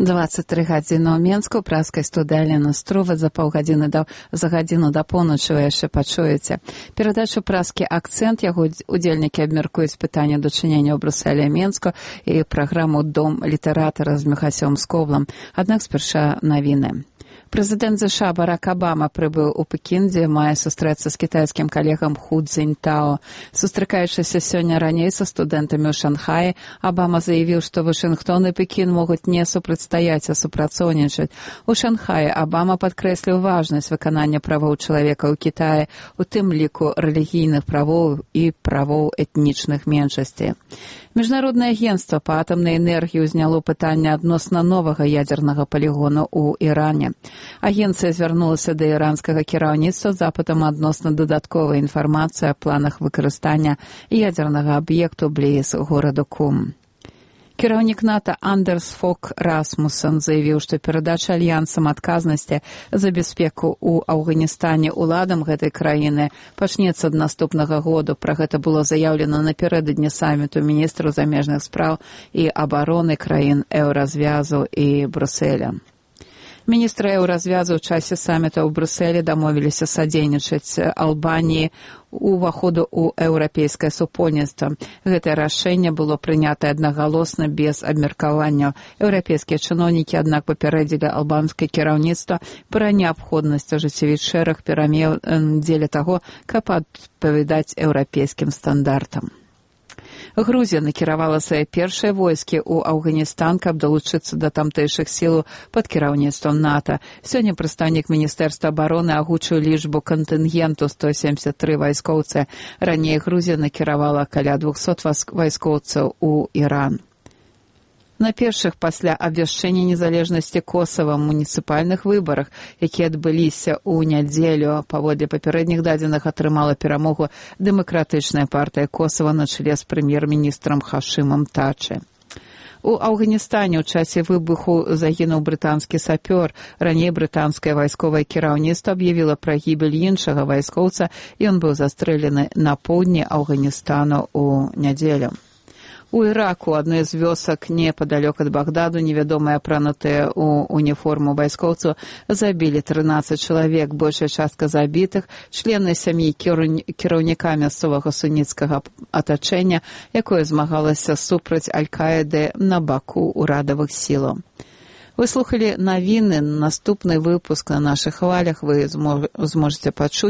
23 гадзіны ў Менску, праскай студыі Алена Струва за гадзіну да поўначы вы яшчэ пачуеце. Перадачу праскі «Акцэнт», яго удзельнікі абмяркуюць пытанне дачынення ў Брусэлі і Менску і праграму «Дом літаратара» з Міхасём Скоблам. Аднак спярша навіны. Прэзідэнт США Барак Абама прыбыў у Пекін, дзе мае сустрэцца з кітайскім калегам Ху Цзіньтао. Сустракаючыся сёння раней са студэнтамі ў Шанхаі, Абама заявіў, што Вашынгтон і Пекін могуць не супрацьстаяць, а супрацоўнічаць. У Шанхаі Абама падкрэсліў важнасць выканання правоў чалавека ў Кітаі, у тым ліку рэлігійных правоў і правоў этнічных меншасцей. Міжнароднае агенцтва па атамнай энергіі ўзняло пытанне адносна новага ядзернага палігону ў Іране. Агенцыя звярнулася да іранскага кіраўніцтва з запытам адносна дадатковай інфармацыі о планах выкарыстання ядзернага аб'екту бліз гораду Кум. Кіраўнік НАТО Андерс Фог Расмуссен заявіў, што перадача альянсам адказнасці за бяспеку ў Афганістане уладам гэтай краіны пачнецца ад наступнага году. Пра гэта было заяўлена напярэдадні саміту міністраў замежных спраў і абароны краін Еўразвязу і Брюсселя. Міністры Еўразвязу ў часе саміта ў Брюсселі дамовіліся садзейнічаць Албаніі уваходу ў еўрапейскае супольніцтва. Гэтае рашэнне было прынятае аднагалосна без абмеркавання. Еўрапейскія чыноўнікі, аднак, папярэдзілі албанскае кіраўніцтва пра неабходнасць ажыццявіць шэраг перамен дзеля таго, каб адпавядаць еўрапейскім стандартам. Грузія накіравала свае першыя войскі ў Афганістан, каб далучыцца да тамтэйшых сілаў пад кіраўніцтвам НАТО. Сёння прадстаўнік Міністэрства абароны агучыў лічбу кантынгенту 173 вайскоўцы. Раней Грузія накіравала каля 200 вайскоўцаў у Іран. На першых пасля абвяшчэння незалежнасці Косава муніцыпальных выбарах, якія адбыліся ў нядзелю, паводле папярэдніх дадзеных атрымала перамогу дэмакратычная партыя Косава на чале з прэм'ер-міністрам Хашымам Тачы. У Афганістане ў часе выбуху загінуў брытанскі сапёр. Раней брытанскае вайсковае кіраўніцтва аб'явіла пра гібель іншага вайскоўца, і ён быў застрэлены на поўдні Афганістану ў нядзелю. У Іраку адной з вёсак непадалёк ад Багдаду невядомыя апранутыя ў уніформу вайскоўцаў забілі 13 чалавек. Большая частка забітых члены сям'і кіраўніка мясцовага суніцкага атачэння, якое змагалася супраць Аль-Каіды на баку ўрадавых сілаў. Вы слухалі навіны. Наступны выпуск на нашых хвалях вы зможаце пачуць